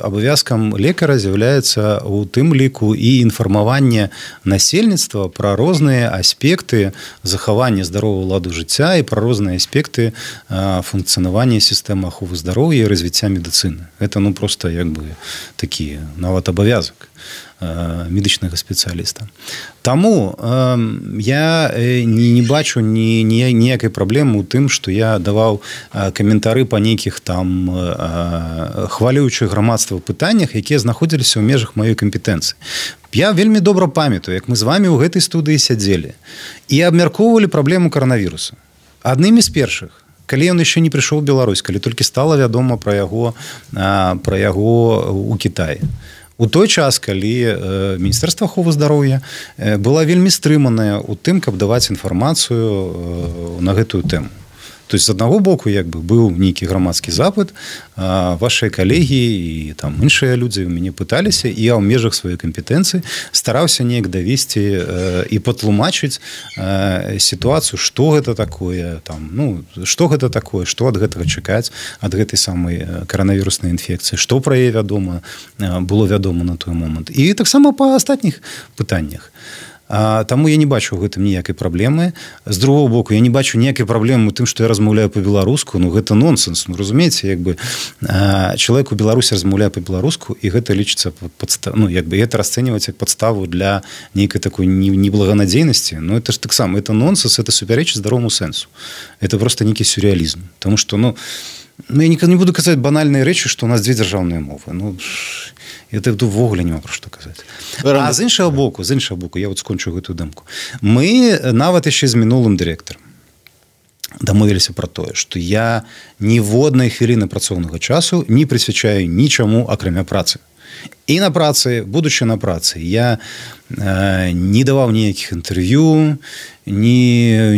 абавязкам лекара з'яўляецца ў тым ліку і інфармаванне насельніцтва пра розныя аспекты захавання здаровага ладу жыцця і пра розныя аспекты функцыянавання сістэмы аховы здароўя і развіцця медыцыны. Гэта ну проста як бы такі нават абавязак медычнага спецыяліста. Таму э, я не, не бачу ні, ні, ніякай праблемы ў тым, што я даваў э, каментары па нейкіх там э, хвалюючых грамадства пытаннях, якія знаходзіліся ў межах маёй кампетэнцыі. Я вельмі добра памятаю, як мы з вамі ў гэтай студыі сядзелі і абмяркоўвалі праблему каранавіруса. Аднымі з першых, калі ён яшчэ не прыйшоў у Беларусь, калі толькі стала вядома пра яго, э, пра яго ў Кітаі. У той час, калі Міністэрства аховы здароўя была вельмі стрыманая ў тым, каб даваць інфармацыю на гэтую тэму. То есть, з аднаго боку, як бы, быў нейкі грамадскі запыт, вашыя калегі і там іншыя людзі ў мяне пыталіся, і я ў межах сваёй кампетэнцыі стараўся неяк давесці і патлумачыць сітуацыю, што гэта такое, там, ну, што гэта такое, што ад гэтага чакаць, ад гэтай самай каранавіруснай інфекцыі, што пра яе вядома, было вядома на той момант. І таксама па астатніх пытаннях. А, таму я не бачу ў гэтым ніякай праблемы. З другого боку, я не бачу ніякай праблемы ў тым, што я размаўляю па-беларуску. Ну, гэта нонсенс. Ну, разумееце, як бы а, чалавек у Беларусі размаўляе па-беларуску, і гэта лічыцца падстав... ну, як бы гэта расцэньваць як падставу для нейкай такой неблаганадзейнасці. Ну, это ж таксама, это нонсенс, это супярэчыць здароваму сэнсу. Это просто нейкі сюрреалізм. Таму што, ну, ну, я не буду казаць банальныя рэчы, што у нас дзве дзяржаўныя мовы. Ну, это ўвогуле няма пра што казаць. А з іншага боку, з іншага боку, я вот скончу гэтую дэмку. Мы нават яшчэ з мінулым дырэктарам дамовіліся пра тое, што я ніводнай хвіліны працоўнага часу не прысвячаю нічаму, акрамя працы. І на працы, будучы на працы, я э, не даваў ніякіх інтэрв'ю, ні,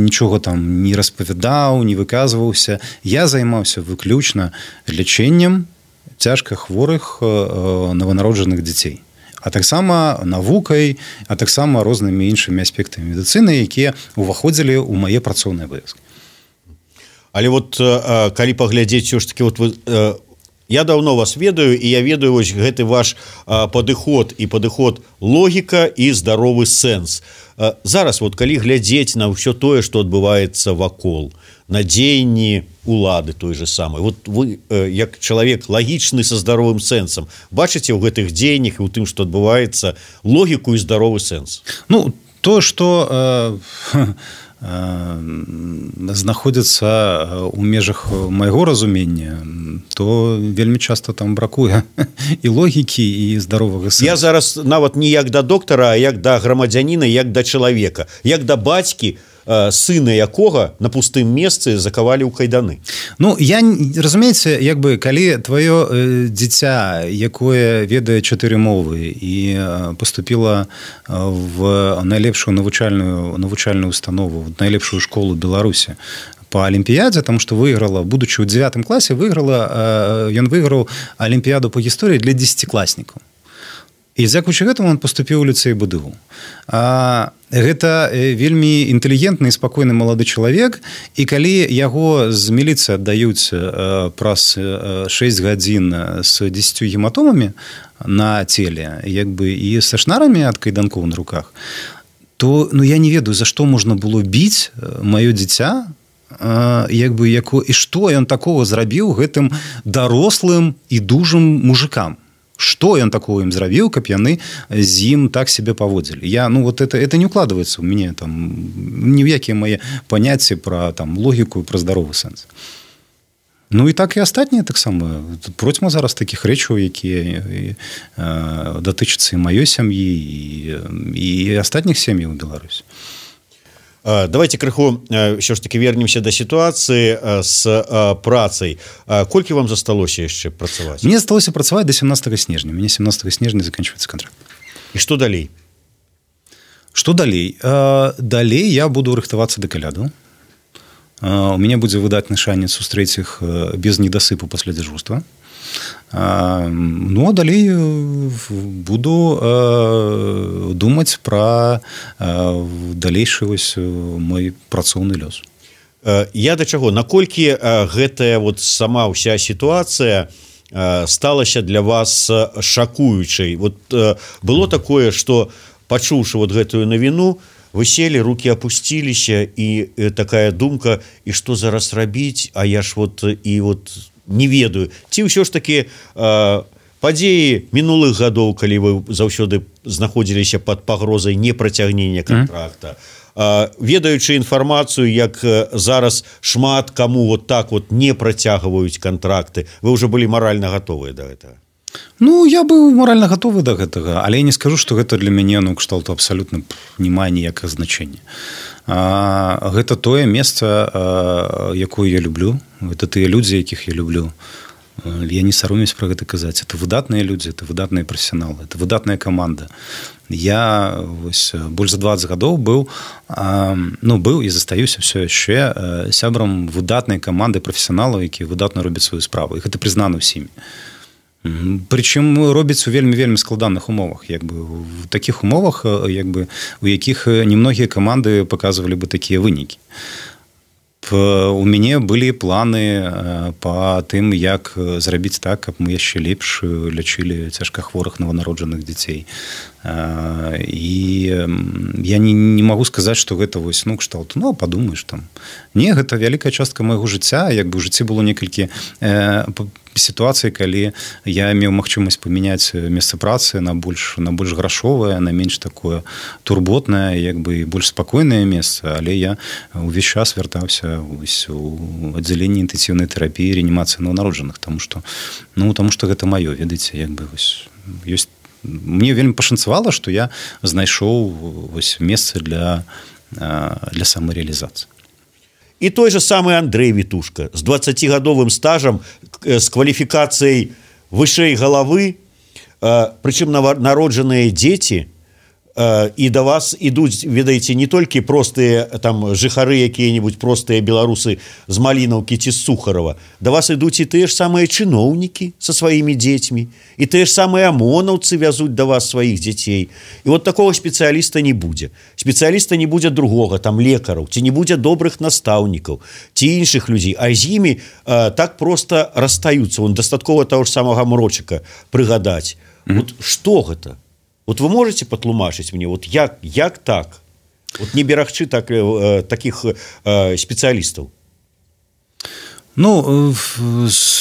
нічога там не распавядаў, не выказваўся. Я займаўся выключна лячэннем цяжка хворых э, нованароджаных дзяцей. А таксама навукай, а таксама рознымі іншымі аспектамі медыцыны, якія ўваходзілі ў мае працоўныя абавязкі. Але вот э, калі паглядзець ўсё ж такі вот вы э, я давно вас ведаю, і я ведаю вось гэты ваш э, падыход і падыход логіка і здаровы сэнс. Э, зараз вот калі глядзець на ўсё тое, што адбываецца вакол, на дзеянні улады той же самой. Вот вы, э, як чалавек лагічны са здаровым сэнсам, бачыце ў гэтых дзеяннях і ў тым, што адбываецца, логіку і здаровы сэнс? Ну, то, што э, знаходзіцца ў межах майго разумення, то вельмі часта там бракуе і логікі, і здаровага сэнсу. Я зараз нават не як да доктара, а як да грамадзяніна, як да чалавека, як да бацькі, сына якога на пустым месцы закавалі ў кайданы. Ну, я, разумееце, як бы, калі твоё э, дзіця, якое ведае чатыры мовы і э, поступіла в найлепшую навучальную, навучальную установу, в найлепшую школу Беларусі по алімпіядзе, таму што выйграла, будучы ў дзевятым класе, выйграла, э, ён выйграў алімпіяду по гісторыі для дзесяцікласнікаў. І дзякуючы гэтаму ён паступіў у ліцэй БДУ. А, гэта вельмі інтэлігентны і спакойны малады чалавек, і калі яго з міліцыі аддаюць а, праз шэсць гадзін з дзесяцю гематомамі на целе, як бы і са шнарамі ад кайданкоў на руках, то ну, я не ведаю, за што можна было біць маё дзіця, а, як бы, яко, і што ён такого зрабіў гэтым дарослым і дужым мужикам. Что ён такого ім зрабіў, каб яны з ім так себе паводзілі. Я, ну, вот это, это не укладывается у мяне там ні ў якія мае паняцці пра там логіку і пра здаровы сэнс. Ну і так і астатнія таксама. Процьма зараз такіх рэчаў, якія э, датычацца і маёй сям'і, і, і астатніх сем'яў у Беларусі. Давайте крыху ўсё ж таки вернемся да сітуацыі з працай. Колькі вам засталося яшчэ працаваць? Мне засталося працаваць до семнадцатого снежня. Мне семнадцатого снежня заканчивается контракт. І што далей? Што далей? Далей я буду рыхтавацца да каляду. У мяне будзе выдатны шанец сустрэць іх без недасыпу пасля дзяжурства. Ну, а далей буду э, думаць пра э, далейшы вось мой працоўны лёс. Я да чаго? Наколькі гэтая вот сама ўся сітуацыя сталася для вас шакуючай? Вот было такое, што пачуўшы вот гэтую навіну, вы сели, руки опусціліся, і такая думка, і што зараз рабіць, а я ж вот і вот не ведаю. Ці ўсё ж такі э, падзеі мінулых гадоў, калі вы заўсёды знаходзіліся пад пагрозай непрацягнення контракта, э, ведаючы інфармацыю, як зараз шмат каму вот так вот не працягваюць контракты, вы ўжо былі маральна гатовыя да гэтага? Ну, я быў маральна гатовы да гэтага, але я не скажу, што гэта для мяне, ну, кшталту абсалютна не мае ніякага значэння. А, гэта тое месца, а, якое я люблю, гэта тыя людзі, якіх я люблю. Я не саромеюсь пра гэта казаць. Это выдатныя людзі, это выдатныя прафесіяналы, это выдатная каманда. Я вось больш за дваццаць гадоў быў, а, ну, быў і застаюся ўсё яшчэ сябрам выдатнай каманды прафесіяналаў, якія выдатна робяць сваю справу. І гэта прызнана ўсімі. Прычым робіць у вельмі-вельмі складаных умовах. Як бы, в такіх умовах, як бы, у якіх немногія каманды паказвалі бы такія вынікі. У мяне былі планы па тым, як зрабіць так, каб мы яшчэ лепш лячылі цяжкахворых нованароджаных дзяцей. І я не, не магу сказаць, што гэта вось, ну, кшталт, ну, падумаеш там. Не, гэта вялікая частка майго жыцця, як бы ў жыцці было некалькі э, сітуацый, калі я меў магчымасць памяняць месца працы на больш, на больш грашовае, на менш такое турботнае, як бы больш спакойнае месца, але я ўвесь час вяртаўся вось у аддзяленні інтэнсіўнай тэрапіі, рэанімацыі нованароджаных, таму што, ну, таму што гэта маё, ведаеце, як бы вось ёсць. Мне вельмі пашанцавала, што я знайшоў вось месца для, для самарэалізацыі. І той же самы Андрэй Вітушка з дваццацігадовым стажам, з кваліфікацыяй вышэй галавы, прычым народжаныя дзеці, і да вас ідуць, ведаеце, не толькі простыя там жыхары, якія-небудзь простыя беларусы з Малінаўкі ці з Сухарова, да вас ідуць і тыя ж самыя чыноўнікі са сваімі дзецьмі, і тыя ж самыя амонаўцы вязуць да вас сваіх дзяцей. І вот такого спецыяліста не будзе. Спецыяліста не будзе другога, там лекараў, ці не будзе добрых настаўнікаў, ці іншых людзей, а з імі э, так проста расстаюцца. Вон дастаткова таго ж самага Мрочыка прыгадаць. Mm-hmm. Вот што гэта? Вот вы можете патлумачыць мне, вот як, як так? Вот не берагчы так, э, таких э, спецыялістаў? Ну,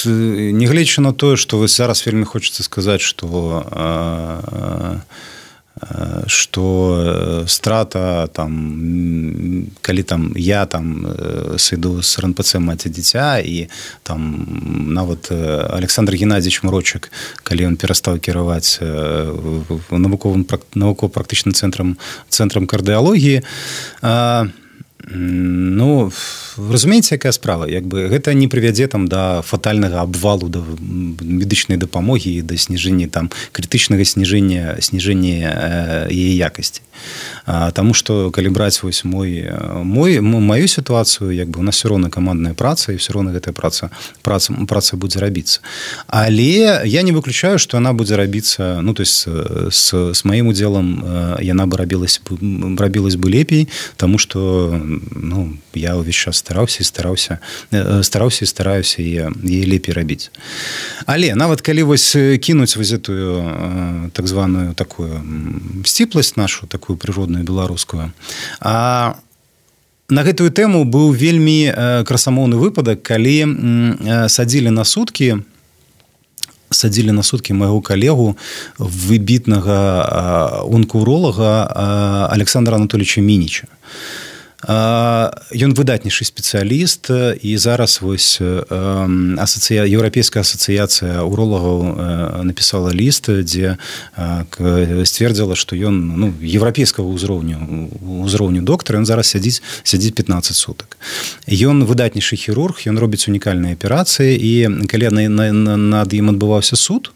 нягледзячы на тое, што вось зараз вельмі хочацца сказаць, што э, што страта там, калі там я там сыду з РНПЦ маці дзіця, і там нават Александр Геннадьевич Мрочык, калі ён перастаў кіраваць навуковым навукова-практычным цэнтрам цэнтрам кардыялогіі, ну, разумееце, якая справа, як бы гэта не прывядзе там да фатальнага абвалу да медычнай дапамогі і да сніжэння там крытычнага сніжэння сніжэння яе якасці. Таму што калі браць вось мой мой маю сітуацыю, як бы у нас все роўна камандная праца, і все роўна гэтая праца праца праца будзе рабіцца. Але я не выключаю, што яна будзе рабіцца, ну, то есть с с маім удзелам яна бы рабілася рабілась бы лепей, таму што, ну, я ўвесь час стараўся і стараўся стараўся і стараюся яе лепей рабіць. Але нават калі вось кінуць вось гэтую так званую такую сціпласць нашу, такую прыродную беларускую, а на гэтую тэму быў вельмі красамоўны выпадак, калі садзілі на суткі садзілі на суткі майго калегу, выбітнага онкоуролага Александра Анатольевича Мініча. Ён выдатнейшы спецыяліст, і зараз вось асацыя... Еўрапейская асацыяцыя уролагаў напісала ліст, дзе сцвердзіла, што ён ну, еўрапейскага ўзроўню ўзроўню доктара, ён зараз сядзіць сядзіць пятнаццаць сутак. Ён выдатнейшы хірург, ён робіць унікальныя аперацыі, і калі над ім адбываўся суд,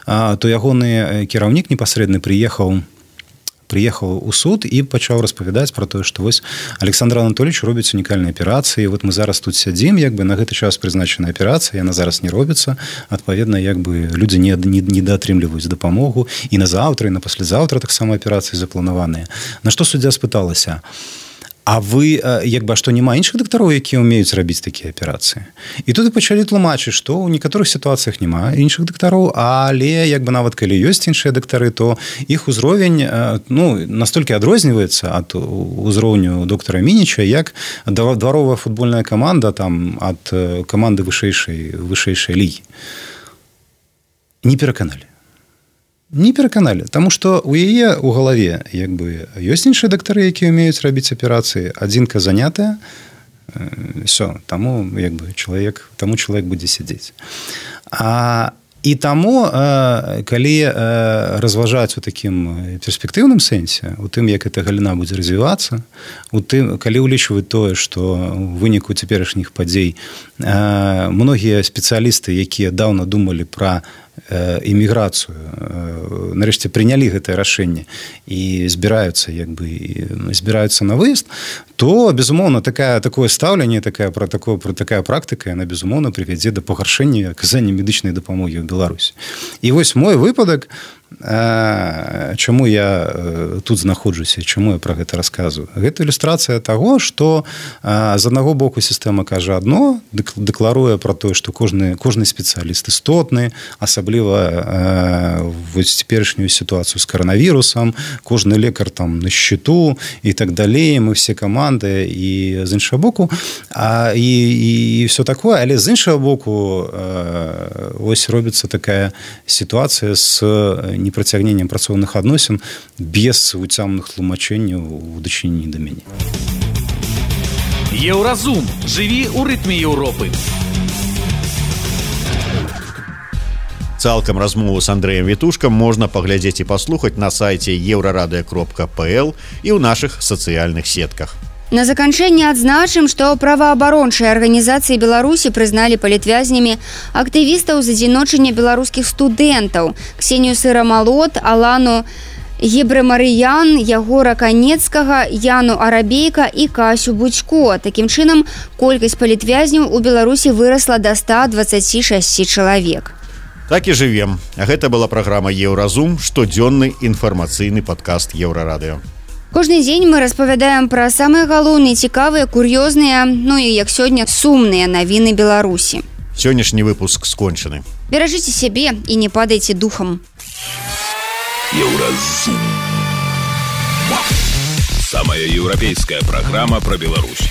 то ягоны кіраўнік непасрэдна прыехаў приехал у суд и пачаў распавядаць про тое, што вось Александр Анатольевич робіць унікальныя аперацыі. Вот мы зараз тут сядзім, як бы на гэты час прызначаная аперацыя, яна зараз не робіцца. Адпаведна, як бы людзі не, не, не даатрымліваюць дапамогу, і на заўтра, і на паслязаўтра таксама аперацыі запланаваныя. На што суддзя спыталася: а вы, як бы, што няма іншых дактароў, якія ўмеюць рабіць такія аперацыі? І тут і пачалі тлумачыць, што ў некаторых сітуацыях няма іншых дактароў, але як бы нават калі ёсць іншыя дактары, то іх узровень ну, настолькі адрозніваецца ад узроўню доктара Мініча, як дваровая футбольная каманда там, ад каманды вышэйшай, вышэйшай лігі. Не пераканалі. Не пераканалі, таму што ў яе ў галаве як бы ёсць іншыя дактары, якія ўмеюць рабіць аперацыі, адзінка занятая, все, таму як бы чалавек, таму чалавек будзе сядзець. А і таму, калі разважаць у такім перспектыўным сэнсе, у тым, як эта галіна будзе развівацца, у тым, калі ўлічваць тое, што ў выніку цяперашніх падзей многія спецыялісты, якія даўно думалі пра эміграцыю, нарэшце прынялі гэтае рашэнне і збіраюцца як бы збіраюцца на выезд, то безумоўна такая такое стаўленне, такая пра такое пра такая практыка, яна безумоўна прывядзе да пагаршэння аказання медычнай дапамогі ў Беларусі. І вось мой выпадак, чаму я тут знаходжуся, чаму я пра гэта расказваю. Гэта ілюстрацыя таго, што з аднаго боку сістэма кажа адно, дэкларуе пра тое, што кожны кожны спецыяліст істотны, асабліва вось цяперашнюю сітуацыю з каранавірусам, кожны лекар там на счету і так далей, мы все каманды, і з іншага боку а, і, і все такое, але з іншага боку ось робіцца такая сітуацыя з непрацягненнем працоўных адносін без уцямных тлумачэнняў у дачыненні да мяне. Еўразум. Жыві ў рытме Еўропы. Цалкам размову з Андрэем Вітушкам можна паглядзець і паслухаць на сайце еўрарадыё кропка пл і ў нашых сацыяльных сетках. На заканчэнне адзначым, што праваабарончыя арганізацыі Беларусі прызналі палітвязнямі актывістаў з адзіночання беларускіх студэнтаў Ксенію Сырамалот, Алану Гебрэмарыян, Ягора Канецкага, Яну Арабейка і Касю Будзько. Такім чынам, колькасць палітвязняў у Беларусі вырасла да ста дваццаці шасці чалавек. Так і жывем. Гэта была праграма «Еўразум», штодзённы інфармацыйны падкаст Еўрарадыё. Кожны дзень мы распавядаем пра самыя галоўныя, цікавыя, кур'ёзныя, ну і, як сёння, сумныя навіны Беларусі. Сённяшні выпуск скончаны. Беражыце сябе і не падайце духам. Еўразум. Самая еўрапейская праграма пра Беларусь.